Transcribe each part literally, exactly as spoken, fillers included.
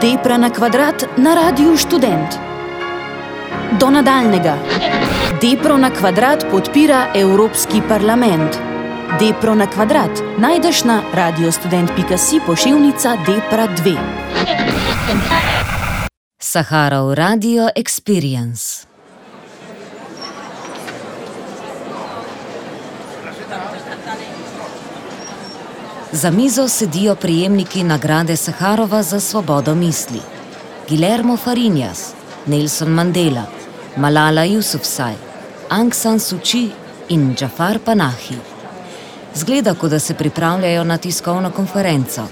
Depra na kvadrat na Radiu Študent. Do nadaljnega. Depro na kvadrat podpira Evropski parlament. Depro na kvadrat najdeš na radiostudent pika si pošiljnica Depra dve. Saharov Radio Experience. Za mizo sedijo prejemniki nagrade Saharova za svobodo misli. Guillermo Fariñas, Nelson Mandela, Malala Yousafzai, Aung San Suu Kyi in Jafar Panahi. Zgleda, kot da se pripravljajo na tiskovno konferenco.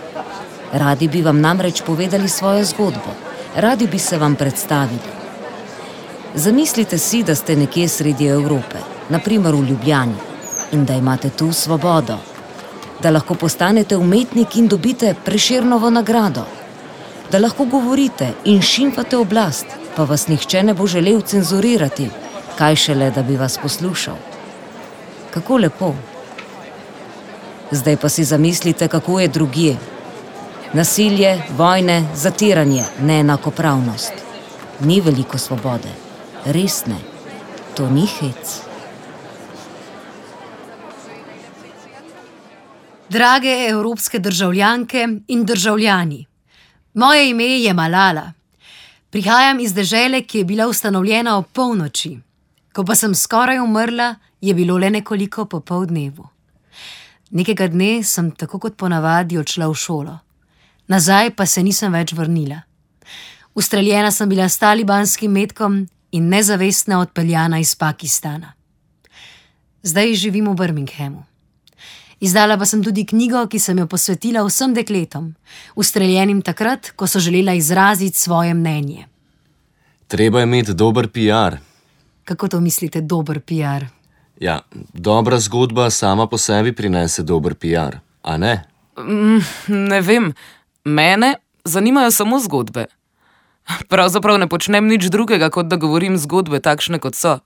Radi bi vam namreč povedali svojo zgodbo. Radi bi se vam predstavili. Zamislite si, da ste nekje sredi Evrope, na primer v Ljubljani, in da imate tu svobodo. Da lahko postanete umetnik in dobite Prešernovo nagrado. Da lahko govorite in šimfate oblast, pa vas nihče ne bo želel cenzurirati, kaj šele, da bi vas poslušal. Kako lepo. Zdaj pa si zamislite, kako je drugje. Nasilje, vojne, zatiranje, neenakopravnost. Ni veliko svobode. Res ne. To ni hec. Drage evropske državljanke in državljani, moje ime je Malala. Prihajam iz dežele, ki je bila ustanovljena ob polnoči. Ko pa sem skoraj umrla, je bilo le nekoliko po pol dnevu. Nekega dne sem tako kot ponavadi odšla v šolo. Nazaj pa se nisem več vrnila. Ustreljena sem bila s talibanskim metkom in nezavestna odpeljana iz Pakistana. Zdaj živim v Birminghamu. Izdala pa sem tudi knjigo, ki sem jo posvetila vsem dekletom, ustreljenim takrat, ko so želela izraziti svoje mnenje. Treba je imeti dober piar. Kako to mislite, dober piar? Ja, dobra zgodba sama po sebi prinese dober piar, a ne? Mm, ne vem, mene zanimajo samo zgodbe. Pravzaprav ne počnem nič drugega, kot da govorim zgodbe takšne, kot so.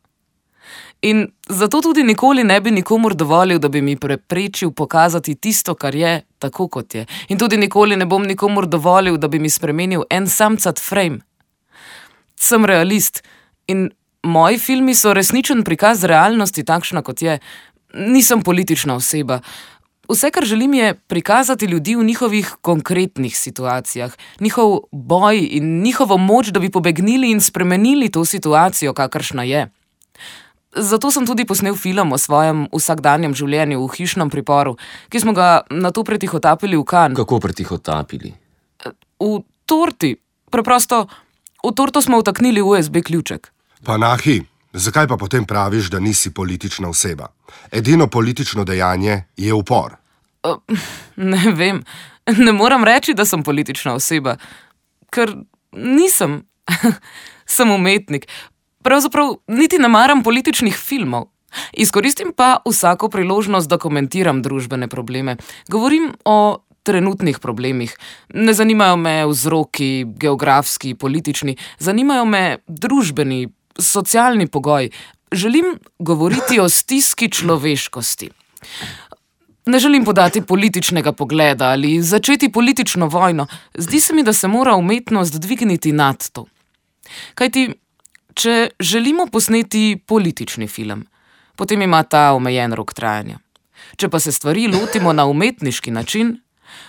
In zato tudi nikoli ne bi nikomur dovolil, da bi mi preprečil pokazati tisto, kar je, tako kot je. In tudi nikoli ne bom nikomur dovolil, da bi mi spremenil en samcat frame. Sem realist in moji filmi so resničen prikaz realnosti takšna, kot je. Nisem politična oseba. Vse, kar želim, je prikazati ljudi v njihovih konkretnih situacijah, njihov boj in njihovo moč, da bi pobegnili in spremenili to situacijo, kakršna je. Zato sem tudi posnel film o svojem vsakdanjem življenju v hišnem priporu, ki smo ga nato pretihotapili v Cannes. Kako pretihotapili? V torti. Preprosto, v torto smo vtaknili U S B ključek. Panahi, zakaj pa potem praviš, da nisi politična oseba? Edino politično dejanje je upor. Uh, ne vem. Ne moram reči, da sem politična oseba, ker nisem. Sem umetnik. Pravzaprav niti ne maram političnih filmov. Izkoristim pa vsako priložnost, da komentiram družbene probleme. Govorim o trenutnih problemih. Ne zanimajo me vzroki, geografski, politični. Zanimajo me družbeni, socialni pogoj. Želim govoriti o stiski človeškosti. Ne želim podati političnega pogleda ali začeti politično vojno. Zdi se mi, da se mora umetnost dvigniti nad to. Kajti če želimo posneti politični film, potem ima ta omejen rok trajanja. Če pa se stvari lotimo na umetniški način,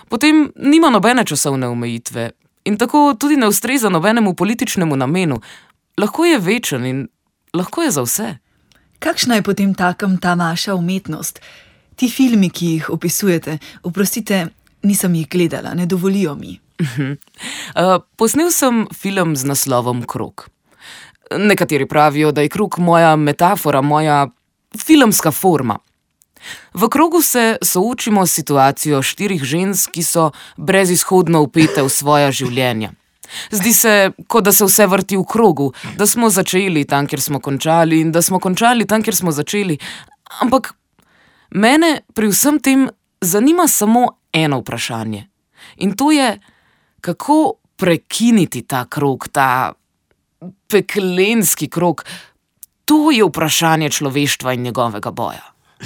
potem nima nobene časovne omejitve in tako tudi ne ustreza nobenemu političnemu namenu. Lahko je večen in lahko je za vse. Kakšna je potem takem ta vaša umetnost? Ti filmi, ki jih opisujete, oprostite, nisem jih gledala, ne dovolijo mi. Uh, posnel sem film z naslovom Krog. Nekateri pravijo, da je krog moja metafora, moja filmska forma. V krogu se soočimo s situacijo štirih žensk, ki so brezizhodno vpete v svoja življenja. Zdi se, kot da se vse vrti v krogu, da smo začeli tam, kjer smo končali in da smo končali tam, kjer smo začeli. Ampak mene pri vsem tem zanima samo eno vprašanje. In to je, kako prekiniti ta krog, ta peklenski krog. To je vprašanje človeštva in njegovega boja.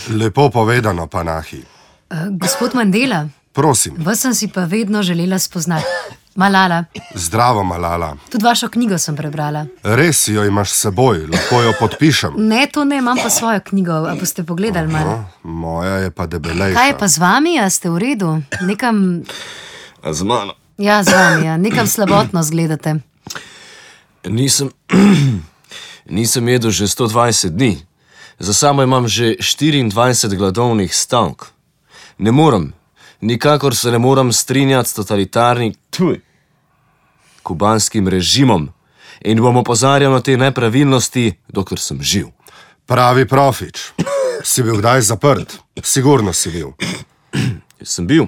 Lepo povedano, Panahi. Uh, gospod Mandela, prosim. Vas sem si pa vedno želela spoznati. Malala, Zdravo, Malala. tudi vašo knjigo sem prebrala. Res jo imaš s seboj, lahko jo podpišem. Ne, to ne, imam pa svojo knjigo. A boste pogledali malo? No, moja je pa debelejša. Kaj je pa z vami, a ste v redu? Nekam, A z mano? ja, z vami, ja. Nekam slabotno zgledate. Nisem, nisem jedel že sto dvajset dni. Za sabo imam že štiriindvajset gladovnih stavk. Ne morem, nikakor se ne morem strinjati s totalitarnim tuj, kubanskim režimom in bom opozarjal na te nepravilnosti, dokler sem živ. Pravi profič. Si bil kdaj zaprt? Sigurno si bil. Sem bil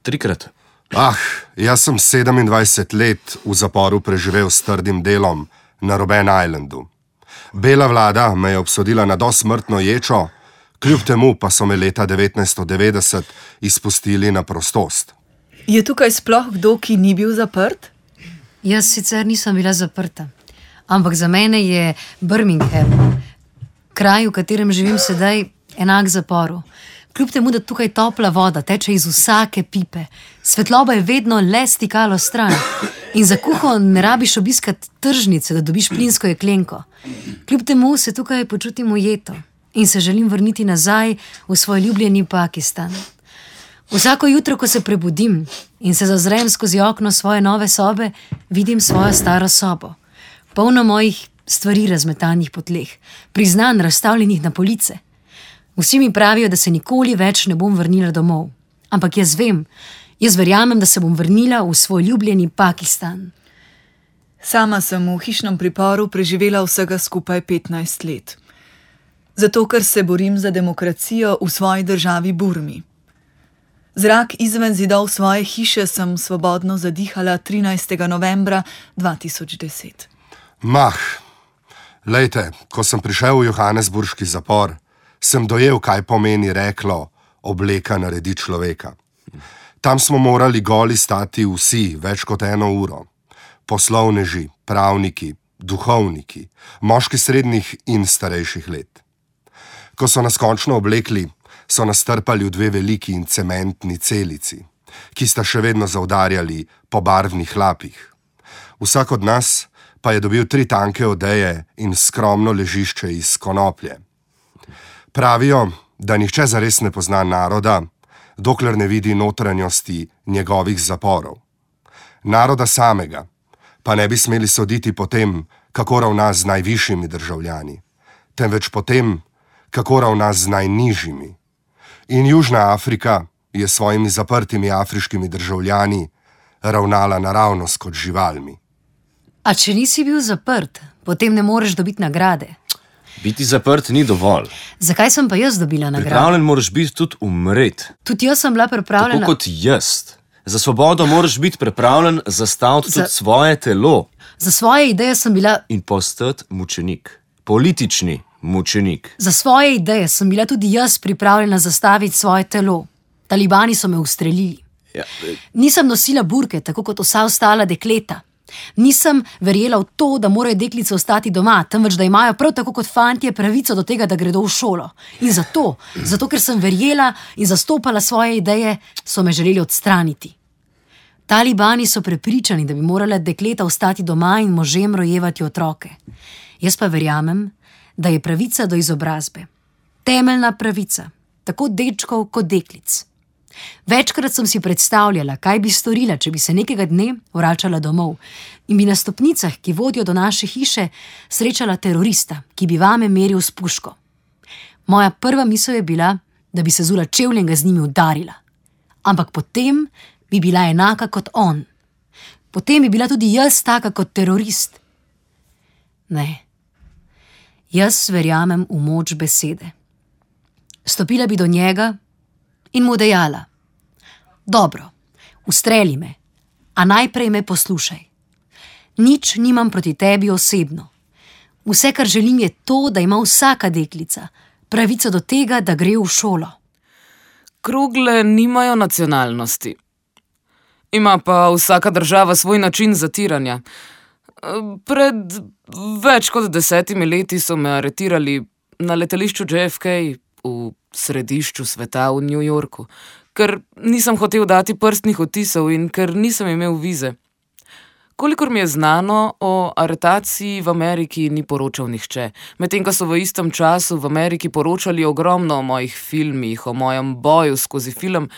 trikrat. Ah, jaz sem sedemindvajset let v zaporu preživel s trdim delom na Robben Islandu. Bela vlada me je obsodila na dosmrtno ječo, kljub temu pa so me leta devetnajststo devetdeset izpustili na prostost. Je tukaj sploh kdo, ki ni bil zaprt? Jaz sicer nisem bila zaprta, ampak za mene je Birmingham, kraj, v katerem živim sedaj, enak zaporu. Kljub temu, da tukaj topla voda teče iz vsake pipe, svetloba je vedno le stikalo stran in za kuho ne rabiš obiskati tržnice, da dobiš plinsko jeklenko. Kljub temu se tukaj počutim ujeto in se želim vrniti nazaj v svoj ljubljeni Pakistan. Vsako jutro, ko se prebudim in se zazrem skozi okno svoje nove sobe, vidim svojo staro sobo, polno mojih stvari razmetanih po tleh, priznanj razstavljenih na police. Vsi mi pravijo, da se nikoli več ne bom vrnila domov. Ampak jaz vem, jaz verjamem, da se bom vrnila v svoj ljubljeni Pakistan. Sama sem v hišnem priporu preživela vsega skupaj petnajst let. Zato, ker se borim za demokracijo v svoji državi Burmi. Zrak izven zidov svoje hiše sem svobodno zadihala trinajstega novembra dva tisoč deset. Mah, lejte, ko sem prišel v johannesburški zapor, sem dojel, kaj pomeni reklo obleka naredi človeka. Tam smo morali goli stati vsi več kot eno uro. Poslovneži, pravniki, duhovniki, moški srednjih in starejših let. Ko so nas končno oblekli, so nas strpali v dve veliki in cementni celici, ki sta še vedno zaudarjali po barvnih hlapih. Vsak od nas pa je dobil tri tanke odeje in skromno ležišče iz konoplje. Pravijo, da nihče zares ne pozna naroda, dokler ne vidi notranjosti njegovih zaporov. Naroda samega pa ne bi smeli soditi po tem, kako ravna z najvišjimi državljani, temveč po tem, kako ravna z najnižjimi. In Južna Afrika je s svojimi zaprtimi afriškimi državljani ravnala naravnost kot živalmi. A če nisi bil zaprt, potem ne moreš dobiti nagrade. Biti zaprt ni dovolj. Zakaj sem pa jaz dobila nagrado? Pripravljen moraš biti tudi umret. Tudi jaz sem bila pripravljena. Tako kot jaz. Za svobodo moraš biti pripravljen zastaviti Za- tudi svoje telo Za svoje ideje sem bila, in postati mučenik. Politični mučenik. za svoje ideje sem bila tudi jaz pripravljena zastaviti svoje telo. Talibani so me ustrelili. Ja, Nisem nosila burke, tako kot vsa ostala dekleta. Nisem verjela v to, da morajo deklice ostati doma, temveč da imajo prav tako kot fantje pravico do tega, da gredo v šolo. In zato, zato ker sem verjela in zastopala svoje ideje, so me želeli odstraniti. Talibani so prepričani, da bi morala dekleta ostati doma in možem rojevati otroke. Jaz pa verjamem, da je pravica do izobrazbe temeljna pravica, tako dečkov kot deklic. Večkrat sem si predstavljala, kaj bi storila, če bi se nekega dne vračala domov in bi na stopnicah, ki vodijo do naše hiše, srečala terorista, ki bi vame meril s puško. Moja prva misel je bila, da bi se zula čevlje in ga z njimi udarila. Ampak potem bi bila enaka kot on. Potem bi bila tudi jaz taka kot terorist. Ne. Jaz verjamem v moč besede. Stopila bi do njega in mu dejala: dobro, ustreli me, a najprej me poslušaj. Nič nimam proti tebi osebno. Vse, kar želim, je to, da ima vsaka deklica pravico do tega, da gre v šolo. Krogle nimajo nacionalnosti. Ima pa vsaka država svoj način zatiranja. Pred več kot desetimi leti so me aretirali na letališču J F K v središču sveta v New Yorku, ker nisem hotel dati prstnih odtisov in ker nisem imel vize. Kolikor mi je znano, o aretaciji v Ameriki ni poročal nihče, medtem ko so v istem času v Ameriki poročali ogromno o mojih filmih, o mojem boju skozi film.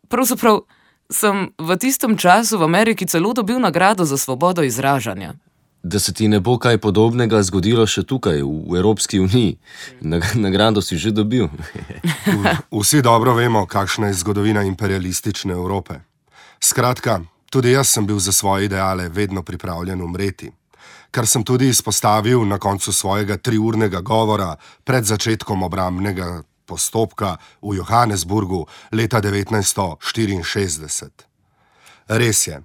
Pravzaprav sem v tistem času v Ameriki celo dobil nagrado za svobodo izražanja. Da se ti ne bo kaj podobnega zgodilo še tukaj, v Evropski uniji. Nagrado si že dobil. Vsi dobro vemo, kakšna je zgodovina imperialistične Evrope. Skratka, tudi jaz sem bil za svoje ideale vedno pripravljen umreti, kar sem tudi izpostavil na koncu svojega triurnega govora pred začetkom obrambnega postopka v Johannesburgu leta devetnajststo štiriinšestdeset. Res je,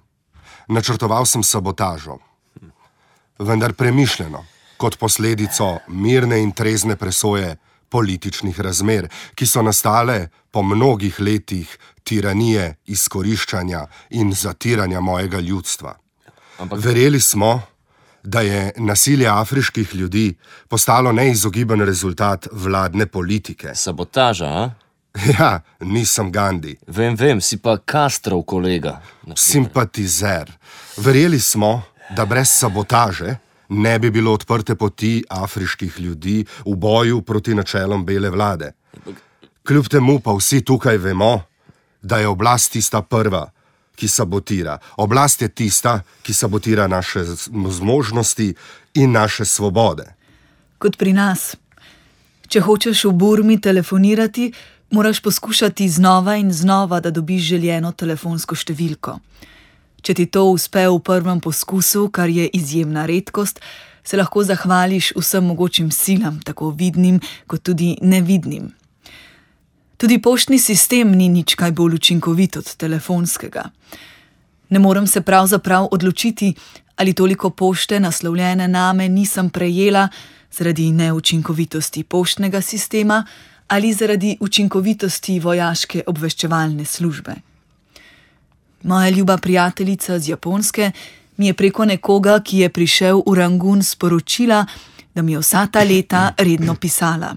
načrtoval sem sabotažo, vendar premišljeno, kot posledico mirne in trezne presoje političnih razmer, ki so nastale po mnogih letih tiranije, izkoriščanja in zatiranja mojega ljudstva. Ampak... Verjeli smo, da je nasilje afriških ljudi postalo neizogiben rezultat vladne politike. Sabotaža, a? Ja, nisem Gandhi. Vem, vem, si pa Castrov kolega. Simpatizer. Verjeli smo, da brez sabotaže ne bi bilo odprte poti afriških ljudi v boju proti načelom bele vlade. Kljub temu pa vsi tukaj vemo, da je oblast tista prva, ki sabotira. Oblast je tista, ki sabotira naše zmožnosti in naše svobode. Kot pri nas. Če hočeš v Burmi telefonirati, moraš poskušati znova in znova, da dobiš željeno telefonsko številko. Če ti to uspe v prvem poskusu, kar je izjemna redkost, se lahko zahvališ vsem mogočim silam, tako vidnim kot tudi nevidnim. Tudi poštni sistem ni nič kaj bolj učinkovit od telefonskega. Ne morem se pravzaprav odločiti, ali toliko pošte naslovljene name nisem prejela zaradi neučinkovitosti poštnega sistema ali zaradi učinkovitosti vojaške obveščevalne službe. Moja ljuba prijateljica z Japonske mi je preko nekoga, ki je prišel v Rangun, sporočila, da mi je vsa ta leta redno pisala.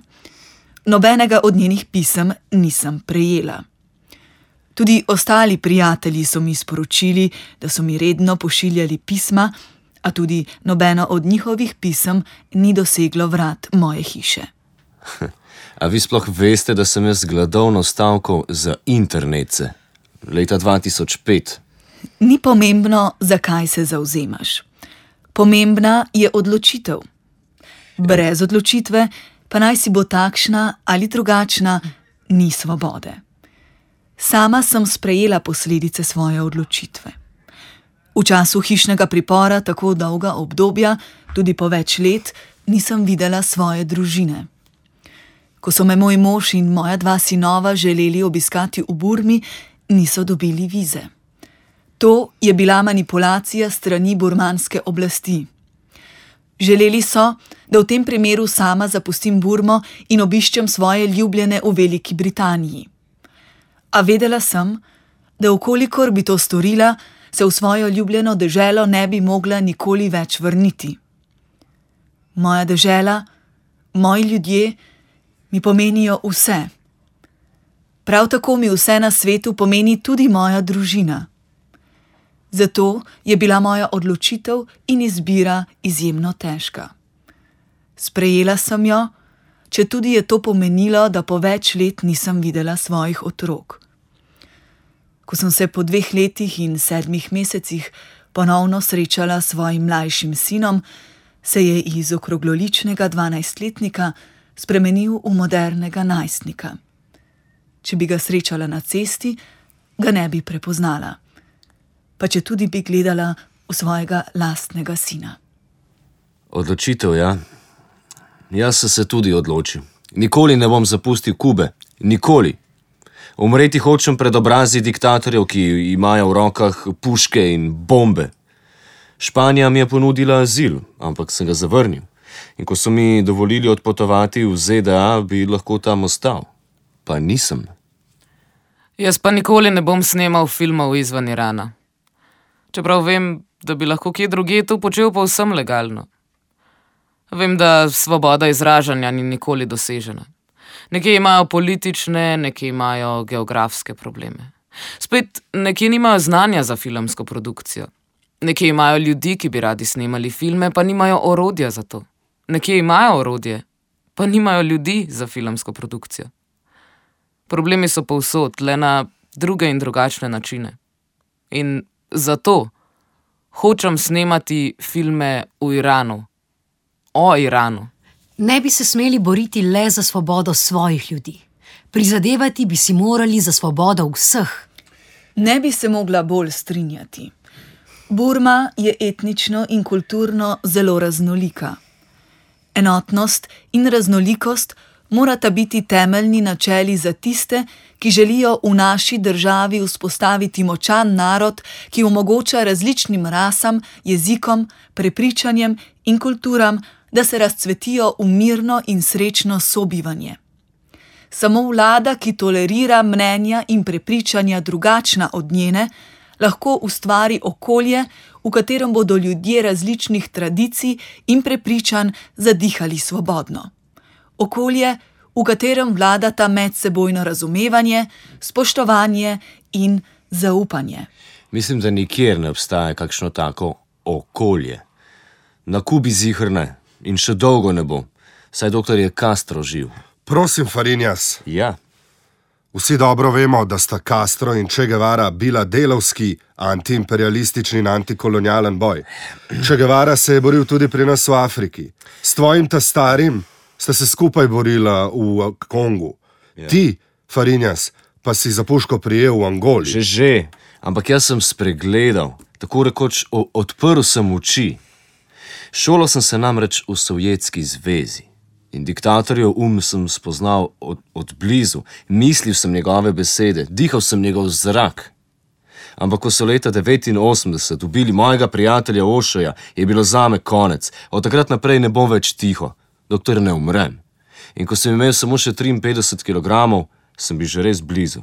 Nobenega od njenih pisem nisem prejela. Tudi ostali prijatelji so mi sporočili, da so mi redno pošiljali pisma, a tudi nobeno od njihovih pisem ni doseglo vrat moje hiše. A vi sploh veste, da sem jaz gladovno stavkal za internetce leta dva tisoč pet? Ni pomembno, zakaj se zavzemaš. Pomembna je odločitev. Brez odločitve, pa naj si bo takšna ali drugačna, ni svobode. Sama sem sprejela posledice svoje odločitve. V času hišnega pripora tako dolga obdobja, tudi po več let, nisem videla svoje družine. Ko so me moj mož in moja dva sinova želeli obiskati v Burmi, niso dobili vize. To je bila manipulacija strani burmanske oblasti. Želeli so, da v tem primeru sama zapustim Burmo in obiščem svoje ljubljene v Veliki Britaniji. A vedela sem, da vkolikor bi to storila, se v svojo ljubljeno deželo ne bi mogla nikoli več vrniti. Moja dežela, moji ljudje mi pomenijo vse. Prav tako mi vse na svetu pomeni tudi moja družina. Zato je bila moja odločitev in izbira izjemno težka. Sprejela sem jo, četudi je to pomenilo, da po več let nisem videla svojih otrok. Ko sem se po dveh letih in sedmih mesecih ponovno srečala s svojim mlajšim sinom, se je iz okrogloličnega dvanajstletnika spremenil v modernega najstnika. Če bi ga srečala na cesti, ga ne bi prepoznala, pa če tudi bi gledala v svojega lastnega sina. Odločitev, ja. Jaz sem se tudi odločil. Nikoli ne bom zapustil Kube. Nikoli. Umreti hočem pred obrazi diktatorjev, ki imajo v rokah puške in bombe. Španija mi je ponudila azil, ampak sem ga zavrnil. In ko so mi dovolili odpotovati v Z D A, bi lahko tam ostal. Pa nisem. Jaz pa nikoli ne bom snemal filmov izven Irana. Čeprav vem, da bi lahko kje drugje to počel povsem legalno. Vem, da svoboda izražanja ni nikoli dosežena. Nekje imajo politične, nekje imajo geografske probleme. Spet nekje nimajo znanja za filmsko produkcijo. Nekje imajo ljudi, ki bi radi snemali filme, pa nimajo orodja za to. Nekje imajo orodje, pa nimajo ljudi za filmsko produkcijo. Problemi so povsod, le na druge in drugačne načine. In zato hočem snemati filme v Iranu. O Iranu. Ne bi se smeli boriti le za svobodo svojih ljudi. Prizadevati bi si morali za svobodo vseh. Ne bi se mogla bolj strinjati. Burma je etnično in kulturno zelo raznolika. Enotnost in raznolikost morata biti temeljni načeli za tiste, ki želijo v naši državi vzpostaviti močan narod, ki omogoča različnim rasam, jezikom, prepričanjem in kulturam, da se razcvetijo v mirno in srečno sobivanje. Samo vlada, ki tolerira mnenja in prepričanja drugačna od njene, lahko ustvari okolje, v katerem bodo ljudje različnih tradicij in prepričanj zadihali svobodno. Okolje, v katerem vladata medsebojno razumevanje, spoštovanje in zaupanje. Mislim, da nikjer ne obstaja kakšno tako okolje. Na Kubi ziher ne in še dolgo ne bo, saj doktor je Castro živ. Prosim, Fariñas. Ja. Vsi dobro vemo, da sta Castro in Che Guevara bila delavski, antiimperialistični in antikolonialen boj. Che Guevara se je boril tudi pri nas v Afriki. S tvojim ta starim sta se skupaj borila v Kongu. Ja. Ti, Fariñas, pa si za puško prijel v Angoli. Že že, ampak jaz sem spregledal, tako rekoč o- odprl sem oči. Šolal sem se namreč v Sovjetski zvezi. In diktatorjev um sem spoznal od, od blizu, mislil sem njegove besede, dihal sem njegov zrak. Ampak ko so leta devetinosemdeset ubili mojega prijatelja Ošoja, je bilo zame konec. Od takrat naprej ne bom več tiho, dokler ne umrem. In ko sem imel samo še triinpetdeset kilogramov, sem bil že res blizu.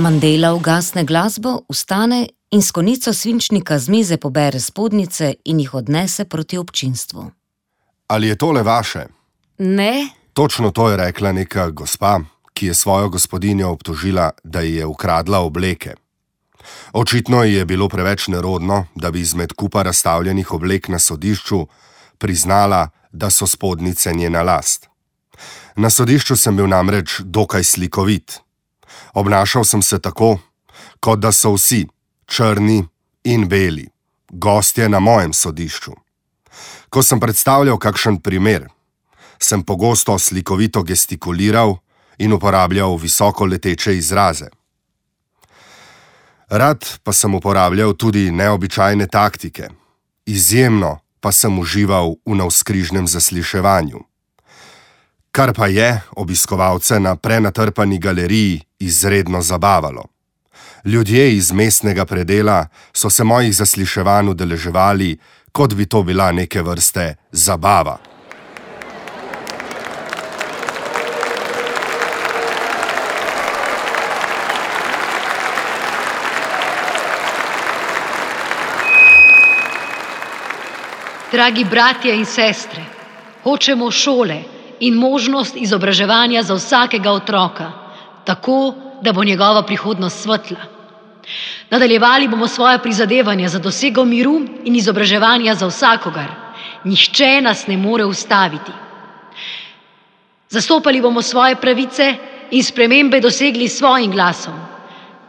Mandela ugasne glasbo, vstane in s konico svinčnika z mize pobere spodnjice in jih odnese proti občinstvu. Ali je tole vaše? Ne, Točno to je rekla neka gospa, ki je svojo gospodinjo obtožila, da ji je ukradla obleke. Očitno ji je bilo preveč nerodno, da bi izmed kupa razstavljenih oblek na sodišču priznala, da so spodnjice njena last. Na sodišču sem bil namreč dokaj slikovit. Obnašal sem se tako, kot da so vsi, črni in beli, gostje na mojem sodišču. Ko sem predstavljal kakšen primer, sem pogosto slikovito gestikuliral in uporabljal visoko leteče izraze. Rad pa sem uporabljal tudi neobičajne taktike, izjemno pa sem užival v navzkrižnem zasliševanju. Kar pa je obiskovalce na prenatrpani galeriji izredno zabavalo. Ljudje iz mestnega predela so se mojih zasliševanj udeleževali, kot bi to bila neke vrste zabava. Dragi bratje in sestre, hočemo šole in možnost izobraževanja za vsakega otroka, tako, da bo njegova prihodnost svetla. Nadaljevali bomo svoje prizadevanja za dosego miru in izobraževanja za vsakogar. Nihče nas ne more ustaviti. Zastopali bomo svoje pravice in spremembe dosegli s svojim glasom.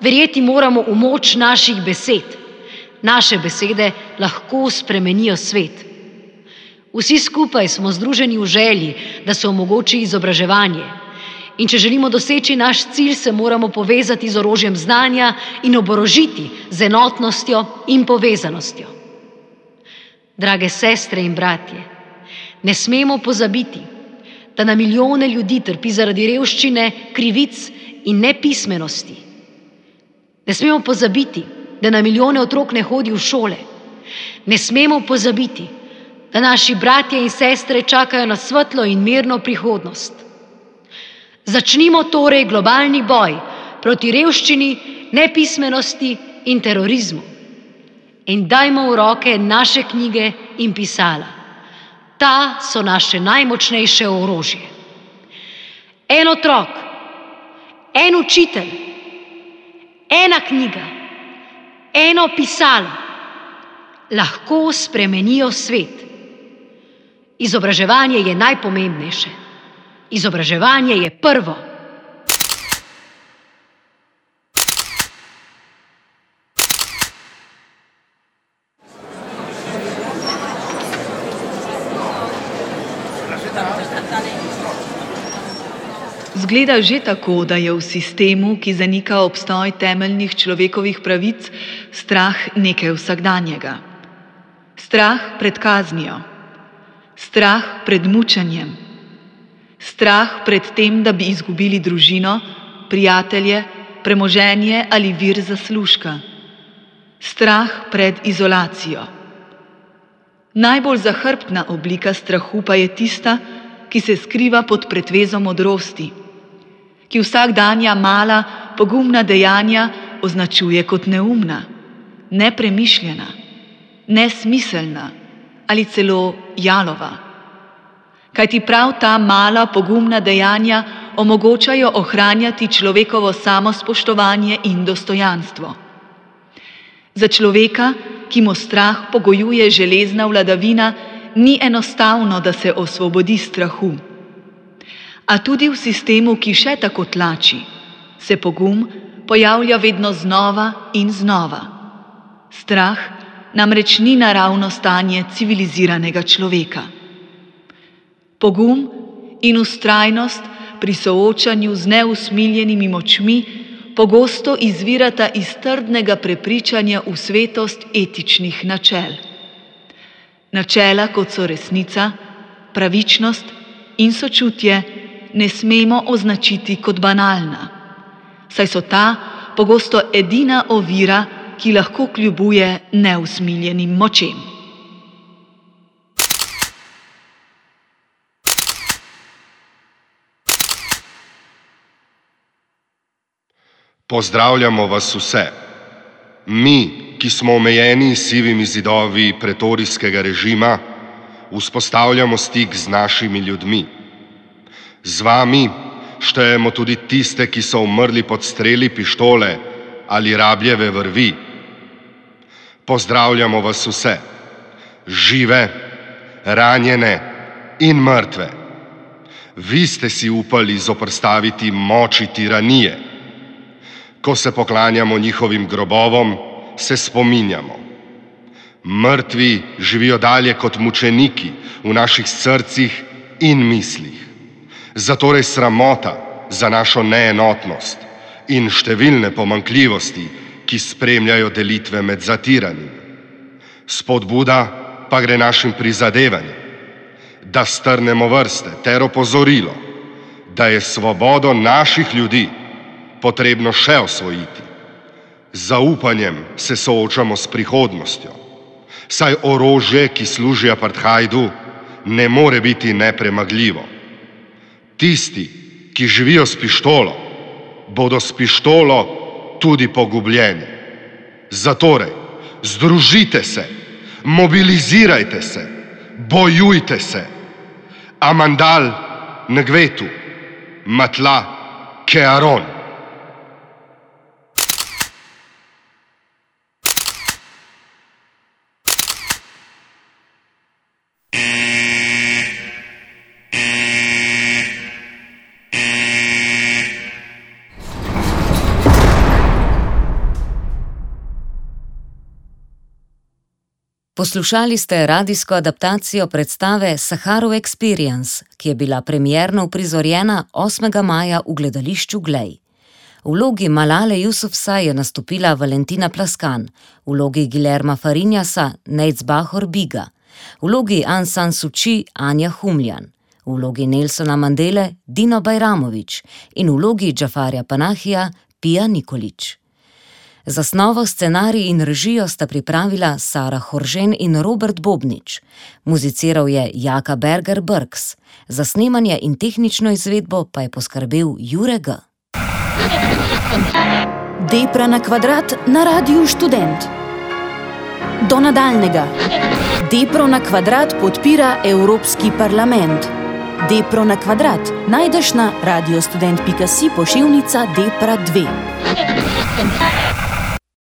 Verjeti moramo v moč naših besed. Naše besede lahko spremenijo svet. Vsi skupaj smo združeni v želji, da se omogoči izobraževanje. In če želimo doseči naš cilj, se moramo povezati z orožjem znanja in oborožiti z enotnostjo in povezanostjo. Drage sestre in bratje, ne smemo pozabiti, da na milijone ljudi trpi zaradi revščine, krivic in nepismenosti. Ne smemo pozabiti, da na milijone otrok ne hodi v šole. Ne smemo pozabiti, da naši bratje in sestre čakajo na svetlo in mirno prihodnost. Začnimo torej globalni boj proti revščini, nepismenosti in terorizmu. In dajmo v roke naše knjige in pisala. Ta so naše najmočnejše orožje. En otrok, en učitelj, ena knjiga, eno pisalo lahko spremenijo svet. Izobraževanje je najpomembnejše. Izobraževanje je prvo. Zgleda že tako, da je v sistemu, ki zanika obstoj temeljnih človekovih pravic, strah nekaj vsakdanjega. Strah pred kaznijo, strah pred mučenjem, strah pred tem, da bi izgubili družino, prijatelje, premoženje ali vir zaslužka, strah pred izolacijo. Najbolj zahrbtna oblika strahu pa je tista, ki se skriva pod pretvezo modrosti, ki vsakdanja mala, pogumna dejanja označuje kot neumna, nepremišljena, nesmiselna ali celo jalova. Kajti prav ta mala, pogumna dejanja omogočajo ohranjati človekovo samospoštovanje in dostojanstvo. Za človeka, ki mu strah pogojuje železna vladavina, ni enostavno, da se osvobodi strahu. A tudi v sistemu, ki še tako tlači, se pogum pojavlja vedno znova in znova. Strah namreč ni naravno stanje civiliziranega človeka. Pogum in vztrajnost pri soočanju z neusmiljenimi močmi pogosto izvirata iz trdnega prepričanja v svetost etičnih načel. Načela, kot so resnica, pravičnost in sočutje, ne smemo označiti kot banalna, saj so ta pogosto edina ovira, ki lahko kljubuje neusmiljenim močem. Pozdravljamo vas vse. Mi, ki smo omejeni s sivimi zidovi pretorijskega režima, vzpostavljamo stik z našimi ljudmi. Z vami štejemo tudi tiste, ki so umrli pod streli pištole ali rabljeve vrvi. Pozdravljamo vas vse, žive, ranjene in mrtve. Vi ste si upali zoprstaviti moči tiranije. Ko se poklanjamo njihovim grobovom, se spominjamo. Mrtvi živijo dalje kot mučeniki v naših srcih in mislih. Zatorej sramota za našo neenotnost in številne pomanjkljivosti, ki spremljajo delitve med zatiranimi. Spodbuda pa gre našim prizadevanjem, da strnemo vrste ter opozorilo, da je svobodo naših ljudi potrebno še osvojiti. Z zaupanjem se soočamo s prihodnostjo, saj orožje, ki služi apartheidu, ne more biti nepremagljivo. Tisti, ki živijo s pištolo, bodo s pištolo tudi pogubljeni. Zatorej, združite se, mobilizirajte se, bojujte se. Amandal Ngvetu, Matla Kearon. Poslušali ste radijsko adaptacijo predstave Saharov Experience, ki je bila premierno uprizorjena osmega maja v gledališču Glej. V vlogi Malale Yousafzai je nastopila Valentina Plaskan, v vlogi Guillerma Fariñasa Nejc-Bahor Biga, v vlogi Aung San Suu Kyi Anja Humljan, v vlogi Nelsona Mandele Dino Bajramović in v vlogi Džafarja Panahija Pia Nikolić. Zasnovo, scenarij in režijo sta pripravila Sara Horžen in Robert Bobnič. Muziciral je Jaka Berger Brks. Za snemanje in tehnično izvedbo pa je poskrbel Jure G. Depra na kvadrat na Radiu Študent. Do nadaljnega. Depro na kvadrat podpira Evropski parlament. Depro na kvadrat najdeš na radiostudent pika si pošiljnica Depra dve.